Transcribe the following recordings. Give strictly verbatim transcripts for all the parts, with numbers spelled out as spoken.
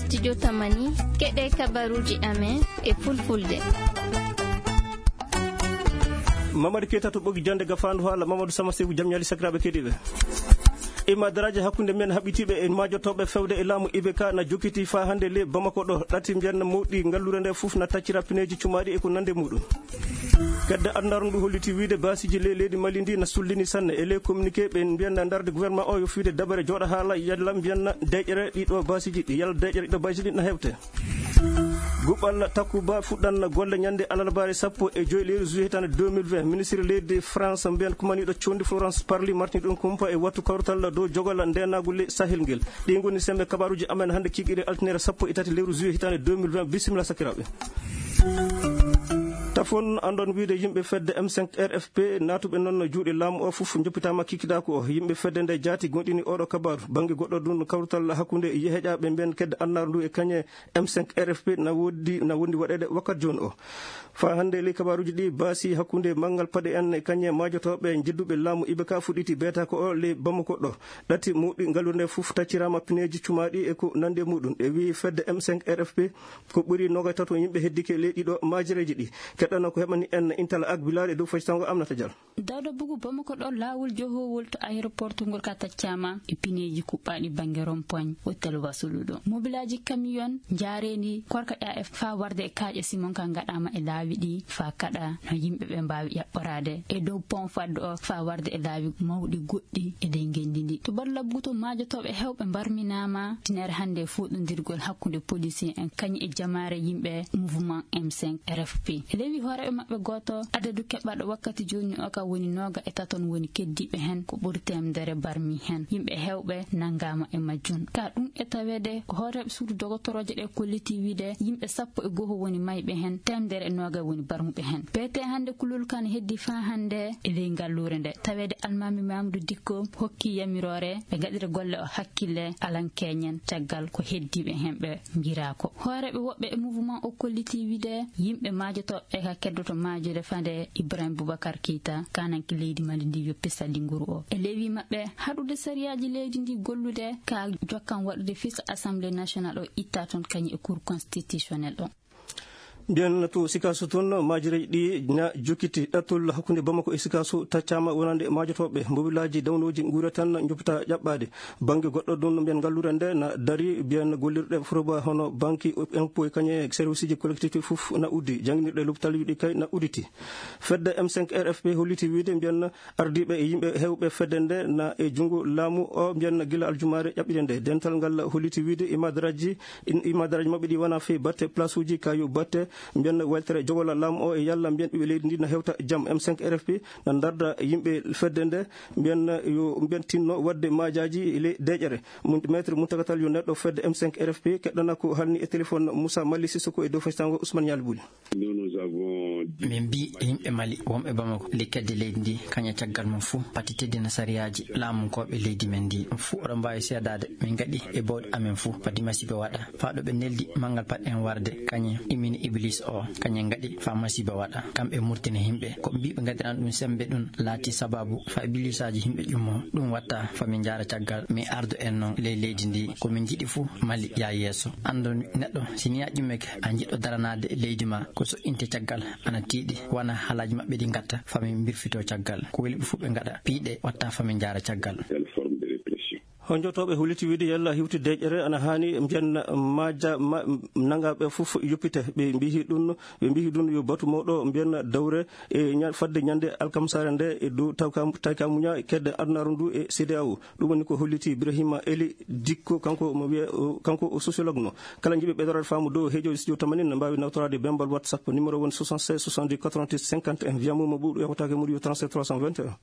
Studio Tamani, keɗe kabaruuji amen e fulfulde. Mamadu Keita to ɓogi jande gafaandu haala. Mamadu Sama Seku, jam ñaali sakiraaɓe keɗiiɓe. Ima daraaje hakkunde men haɓɓitiiɓe e maajotooɓe fewde e laamu I B K na jokkiti faa hannde le Bamako ɗo. Ɗati mbiyanna mawɗi ngalluure nde fof na taccira pineeji cumaaɗi e ko nande muɗum. Kedde adunaaru ndu holliti wiide baasiiji ley leydi Mali ndi na sullini sanne. E ley communiqué ɓe mbiyanna darde gouvernement o yo fiide dabare jooɗa haala yalla mbiyanna deƴƴere ɗiɗo baasiiji ɗi, yalla deƴƴere ɗiɗo baasiiji ɗi na hewte. Guɓal Takuba fuɗɗan golle ñande alarbaare sappo e joy lewru juillet hitaande deux mille vingt. Ministre leydi France mbiyan kumaniiɗo condi Florence Parly martini ɗum kumpa e wattu kawrital dow jogol ndeenaagu ley Sahel ngel. Ɗi ngoni sembe kabaruuji amen hannde kiikiiɗe altine sappo e tati lewru juillet hitaande deux mille vingt. Bisimilla sakiraaɓe. Tafon anndon wiide yimɓe fedde M cinq R F P naatuɓe noon juuɗe laamu o fof njoppitaama kikiɗaaku o. Yimɓe fedde nde jaati gonɗini oɗo kabaru. Bannge goɗɗo ɗum kawrital hakkunde heƴaaɓe mben kedde annaaru ndu e kañe M cinq R F P na wondi, na wondi waɗeede wakkati jooni o. Faa hannde ley kabaruuji ɗi baasi hakkunde manngal paɗe en e kañe maajotooɓe njedduɓe laamu I B K fuɗɗiti beeta ko o ley Bamako ɗo. Ɗati mawɗi ngalluure nde fof tacciraama pineeji cumaaɗi e ko nandi e muɗum. E wii fedde M cinq R F P ko ɓuri noga tato yimɓe heddike ley ɗiɗo maajereeji ɗi. Keɗɗana ko heɓani en Intala Ak Bilal e dow faysango Amnata Diallo. Dawda Bugu Bamako ɗo laawol johowol to aéroport ngol ka taccaama e pineeji kuɓɓaaɗi bannge rond-point hôtel Wasulu ɗo. Mobilaaji camion njaareendi korka ƴa e faa warde e kaaƴe Simon ka ngaɗaama e laawi ɗi faa kaɗa no yimɓe ɓe mbaawi ƴaɓɓoraade e dow pont fadde o faa warde e laawi mawɗi goɗɗi e ley ngenndi ndi. To Badu Labbuto maajotooɓe hewɓe mbarminaama tinere hannde fuɗɗondirgol hakkunde policier en kañum e jamaare yimɓe mouvement M cinq R F P. E lewi hooreeɓe maɓɓe gooto, adadu keɓɓaaɗo wakkati jooni o ka woni nooga e taton woni keddiiɓe heen ko ɓuri teemedere barmi heen. Yimɓe heewɓe nanngaama e majjum. Ka ɗum e taweede ko hooreeɓe suudu dogotorooje ɗe kolliti wiide yimɓe sappo e goho woni mayɓe heen, teemedere e nooga woni barmuɓe heen. Beete hannde kulol kan heddi faa hannde e ley ngalluure nde. Taweede Almaami Mamadou Dikko hokki yamiroore ɓe ngaɗira golle o hakkille alan keñen caggal ko heddiiɓe heen ɓe ngiraa ko. Hooreeɓe woɓɓe e mouvement o kolliti wiide yimɓe maajotooɓe ka keddoto maajude fande Ibrahim Boubacar Keita, kananke leydi Mali ndi yoppi salli nguru o. E lewi maɓɓe haɗude sariyaaji leydi ndi gollude ka jokkan waɗude fis Assemblée nationale o itta toon kañum e Cour constitutionnelle o. Mbiyen to Sikaso toon, maajireeji ɗi na jokkiti. Ɗattol hakkunde Bamako e Sikaso taccaama wonande maajotooɓe. Mbobilaaji dawnooji nguura tan njoppita ƴaɓɓaade. Bannge goɗɗo ɗum mbiyen ngalluure nde na dari, mbiyen gollirɗe foroba hono banki, impôt e kañe serviceji collectivité fof na uddi. Jannginirɗe lopital ɗi kay na udditi. Fedde M cinq R F P holliti wiide mbiyen ardiiɓe e yimɓe heewɓe fedde nde na e junngo laamu o, mbiyen gila aljumaare ƴaɓɓiɗe nde. Dental ngal holliti wiide imadaraaji, imadaraaji maɓɓe ɗi wona fii batte place uji ka yo batte, mbiyen weltere jogol laamu o e yalla mbiyen ɓiɓɓe leydi ndi na hewta jam. M cinq R F P na darda yimɓe fedde nde, mbiyen yo mbiyen tinno waɗde maajaaji e ley deƴƴere. Mun-, Maître Muntagatal yo neɗɗo fedde M cinq R F P keɗɗana ko halni e téléphone Moussa Mali Sissoko e dow faysango Ousmane Ñaali Buli. Min mbii e yimɓe Mali wonɓe Bamako, ley kedde leydi ndi, kañe caggal mum fuu, pati teddina sariyaaji laamunkooɓe leydi men ndi. Ɗum fuu oɗon mbaawi seedaade, min ngaɗi e bawɗe amen fuu, pati masiiba waɗa. Faa ɗo ɓe neldi manngal paɗɗen warde, kañe immini Iblis o, kañe ngaɗi faa masiiba waɗa. Kamɓe murtina yimɓe, ko mbii ɓe ngaɗiran ɗum semmbe ɗum laati sabaabu faa Iblisaaji yimɓe ƴummoo. Ɗum watta faa min njaara caggal, min ardo en noon ley leydi ndi. Ko min njiɗi fuu, Mali yaa yeeso. Anndon neɗɗo, si nii a ƴummike, a jiɗɗo daranaade leydi maa, ko so inte caggal, ana tiiɗi, wona haalaaji maɓɓe ɗi ngatta, faa min mbirfitoo caggal. Ko weli ɓe fuu ɓe ngaɗa, piiɗe watta faa min njaara caggal. Honjotooɓe holliti wiide yalla hiwti deƴƴere ana haani mbiyen maaja, ma-, nangaaɓe fof yoppite. Ɓe mbiyi ɗum, ɓe mbiyi ɗum yo batu mawɗo mbiyen dawre e ña-, fadde ñande alkamsaare nde e dow tawka-, tayka muña kedde adunaaru ndu e C D A O. Ɗum woni ko holliti Ibrahima Eli Dikko, kanko mo wiye, o, kanko o sociologue no. Kala njiɗɓe ɓeydoraade faamu dow heejo studio tamanin ne mbaawi nawtoraade bembal WhatsApp, numéro woni soixante-seize soixante-dix quatre-vingt-dix cinquante et un, via Momo ɓuuɗu yawtaake muɗum yo trente-sept trois cent vingt et un.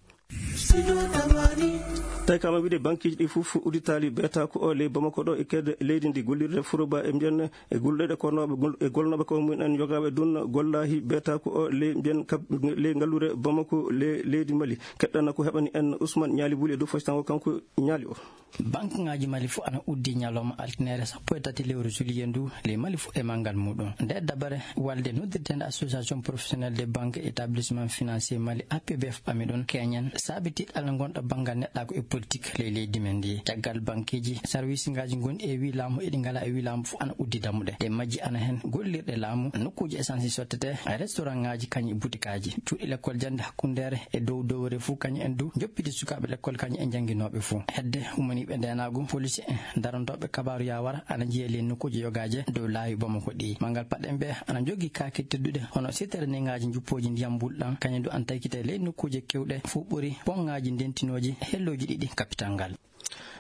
Tawi kama wiide bankiiji ɗi fof udditaali beeta ko o ley Bamako ɗo e kede leydi ndi gollirde furoba e mbiyen e golluɗe kornooɓe gol-, e golnooɓe ko mumen en yogaaɓe ɗum gollaahi beeta ko o ley mbiyen kab-, ley ngalluure Bamako ley leydi Mali. Keɗɗana ko heɓani en Ousmane Ñaali Buli e dow faytango kanko Ñaali o. Bankuŋaaji Mali fof ana uddi ñalawma altine sappo e tati lewru juillet ndu ley Mali fof e manngal muɗum. Nde dabare walde noddirteende Association Professionnelle des Banques et Établissements Financiers Mali, A P B F, ɓami ɗum keñen saabi tiiɗalla ngonɗo banngal neɗɗaagu e politik ley leydi men ndi. Caggal bankeeji, sarwisingaaji gonɗi e wi laamu e ɗi ngalaa e wi laamu fof ana uddi dammuɗe. Ɗe majji ana heen gollirɗe laamu, nokkuuji essence sottete, restaurant ŋaaji kañum e butikaaji. Cuuɗi lekkol jannde hakkundeere e dow dowre fof kañum en du njoppiti sukaaɓe lekkol kañum e jannginooɓe fof. Hedde ummaniiɓe ndeenaagu, polisi en, darantooɓe kabaaru yawara ana njiya ley nokkuuji yogaaje dow laawi Bamako ɗi. Manngal paɗen ɓe ana njogii kaake tedduɗe hono sittere neŋaaji njuppooji ndiyam mbulɗam, kañum du ana taykite ley nokkuuje keewɗe fof ɓuri poŋŋaaji ndentinooji hellooji ɗiɗi kapital ngal.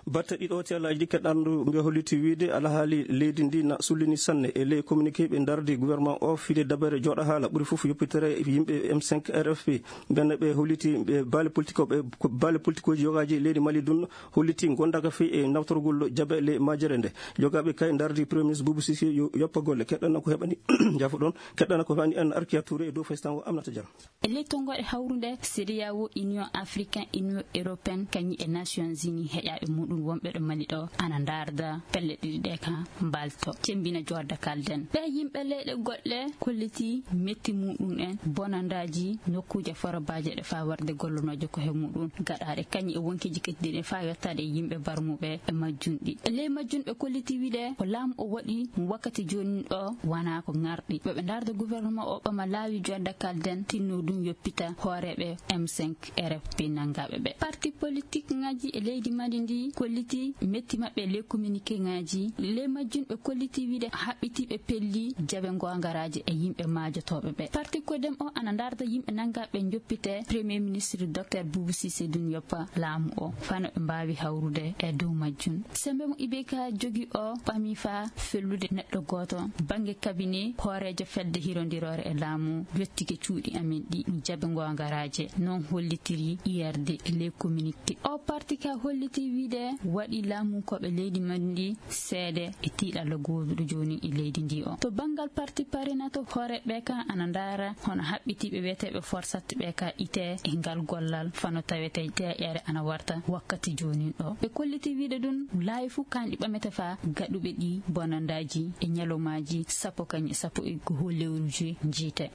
Batte ɗiɗo tellaaji ɗi keɗandu mbiya holliti wiide alhaali leydi ndi na sullini sanne e ley communiqué ɓe ndardi gouvernement o fide dabere jooɗa haala ɓuri fof yoppitere yimɓe M cinq R F P. Ɓenne ɓe holliti ɓe baale politique o ɓe baale politikuuji yogaaji leydi Mali dun holliti gondaka fii e nawtorgol jabe ley majere nde. Yogaaɓe kay ndardi Premier Ministre Boubou Cissé yo yoppa golle. Keɗɗana ko heɓani jafo ɗon, keɗɗana ko heɓani en Arkia Touré e dow faysango Aminata Diallo. E ley tonngooɗe hawrunde C D A O, Union Africaine, Union Européenne, kañum e Nations Unies heƴaaɓe muɗum wonɓe ɗo Mali ɗo ana ndaarda pelle ɗiɗi ɗe ka mbaalto cemmbina joodda kalden. Ɓe yimɓe leyɗe goɗɗe kolliti metti muɗum en bonandaaji nokkuuje forobaaje ɗe faa warde gollonooje ko he muɗum gaɗaaɗe kañum e wonkiiji keddiiɗi faa yottaade e yimɓe barmuɓe e majjum ɗi. E ley majjum ɓe kolliti wiide ko laamu o waɗi wakkati jooni ɗo wanaa ko ŋarɗi. Ɓe ɓe ndaarda gouvernement o ɓama laawi joodda kalden tinno ɗum yoppita hooreeɓe M cinq R F P nanngaaɓe ɓe. Parti politique ŋaaji e leydi Mali ndi kolliti metti maɓɓe e ley communiqué ŋaaji. Ley majjum ɓe kolliti wiide haɓɓitiiɓe pelli jaɓe goongaraaji e yimɓe maajotooɓe ɓe. Parti Codem o ana ndaarda yimɓe nanngaaɓe njoppite Premier Ministre Docteur Boubou Cissé ɗum yoppa laamu o fano ɓe mbaawi hawrude e dow majjum. Sembe mo I B K jogi o ɓami faa fellude neɗɗo gooto. Bannge cabinet hooreejo fedde hirondiroore e laamu yottike cuuɗi amen ɗi jaɓe goongaraaje, noon hollitiri I R D e ley communiqué. O parti ka holliti wiide waɗi laamunkooɓe leydi Mali ndi seede e tiiɗalla gooduɗo jooni e leydi ndi o. To banngal parti Parinato, hooreeɓe ka ana ndaara hono haɓɓitiiɓe wiyeteeɓe forsat ɓe ka ite e ngal gollal fano tawete deeƴere ana warta wakkati jooni ɗo. Ɓe kolliti wiide ɗum laawi fof kanɗi ɓamete faa gaɗuɓe ɗi bonandaaji e ñalawmaaji sappo kañum e sappo e goo lewru juillet njiite.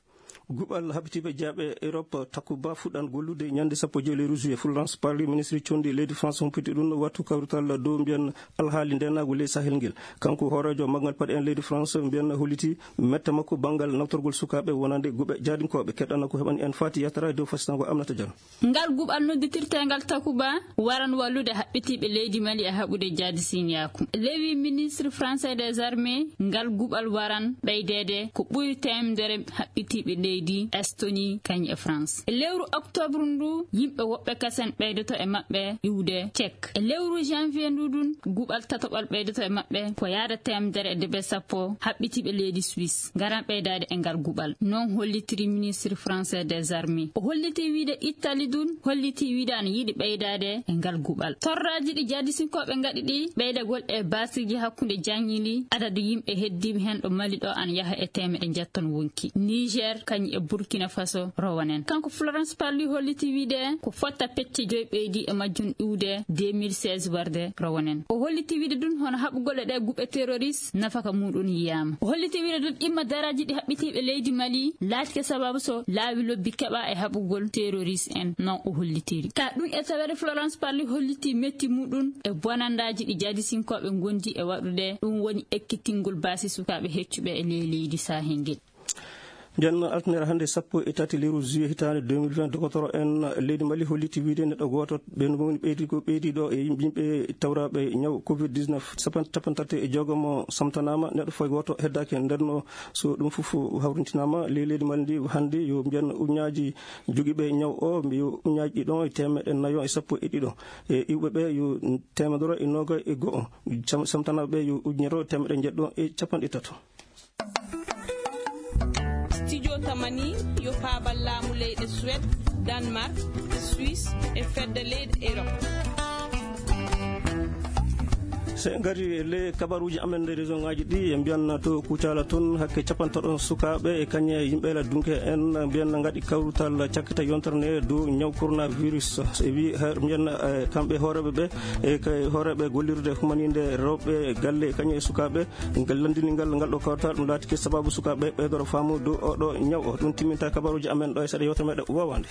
Guɓal haɓitiiɓe jaaɓe Europe Takuba fuɗɗan gollude ñande sappo e joy lewru juillet. Florence Parly, ministre conndi leydi France, humpiti ɗum wattu kawrital dow mbiyan alhaali ndeenaagu ley Sahel ngel. Kanko hooreejo maggal paɗe en leydi France mbiyan holliti mette makko banngal nawtorgol sukaaɓe wonande guɓe jaadinkooɓe. Keɗɗana ko heɓani en faati yatara dow fasitango Aminata Diallo. Ngal guɓal nodditirteengal Takuba waran wallude haɓɓitiiɓe leydi Mali e haɓude jaadi sinyaaku. Lewi ministre français des armées, ngal guɓal waran ɓeydeede ko ɓuri teemedere haɓɓitiiɓe leydi Estonie kañ e France. E lewru octobre ndu, yimɓe woɓɓe kasen ɓeydoto e maɓɓe iwde Tchèque. E lewru janvier ndu ɗun, guɓal tatoɓal ɓeydoto e maɓɓe ko yaada teemedere e debe sappo haɓɓitiiɓe leydi Suisse ngaran ɓeydaade e ngal guɓal. Noon hollitiri ministre français des armées. O holliti wiide Italie ɗun holliti wiide ana yiɗi ɓeydaade e ngal guɓal. Torraaji ɗi jaadisinkooɓe ngaɗi ɗi ɓeydagol e baasiiji hakkunde jaññili adadu yimɓe heddiiɓe heen ɗo Mali ɗo ana yaha e teemeɗe njetton wonki. Niger kañ e Burkina Faso rowanen. Kanko Florence Parly holliti wiide ko fotta pecce joy ɓeydi e majjum iwde deux mille seize warde rowanen. O holliti wiide ɗun hono haɓugol e ɗe guɓe terroriste nafaka muɗum yiyaama. O holliti wiide ɗun ɗimma daraaji ɗi haɓɓitiiɓe leydi Mali laatike sababu so laawi lobbi keɓa e haɓugol terroriste en, non o hollitiri. Ka ɗum e taweede Florence Parly holliti metti muɗum e bonandaaji ɗi jaadisinkooɓe ngondi e waɗude, ɗum woni ekkitingol baasi sukaaɓe heccuɓe e ley leydi Sahel ngel. Nden altine hannde sappo e tati lewru juillet hitaande deux mille vingt, dokotoro en leydi Mali holliti wiide neɗɗo gooto ɓe no woni ɓeydi ko ɓeydi ɗo e yimɓe, yimɓe tawraaɓe ñaw covid dix-neuf, capan-, capanɗe tati e jeegom samtanaama, neɗɗo foy gooto heddaaki. Nden no so ɗum fof hawrintinaama ley leydi Mali ndi hannde yo mbiyen uñaaji jogiiɓe ñaw o, yo uñaaji ɗiɗo e teemeɗɗe nayo e sappo e ɗiɗo. E iwɓe ɓe yo teemedere e noga e go'o. Sam-, samtanaaɓe ɓe yo ujunere teemeɗɗe jeɗɗo e capanɗe tato. Studio Tamani yo paabal laamu leyɗe Suède, Danemark, e Suisse e fedde leyɗe Europe. So en ngari e le kabaruuji amen nder région ŋaaji ɗi, en mbiyan to Kucala toon, hakke capantato sukaaɓe e kañe yimɓe la dunke en mbiyan ngaɗi kawrutal cakkita yontere nde dow ñaw coronavirus. E wi, he-, mbiyan, eh, kamɓe hooreeɓe ɓe, e kay hooreeɓe gollirde humaninde rewɓe galle e kañe e sukaaɓe, ngal lanndini ngal, ngal ɗo kawtal, ɗum laatike sababu sukaaɓe ɓeydoro faamu dow oɗo ñaw o. Ɗum timminta kabaruuji amen ɗo e seeɗa yewtere meɗen wowande.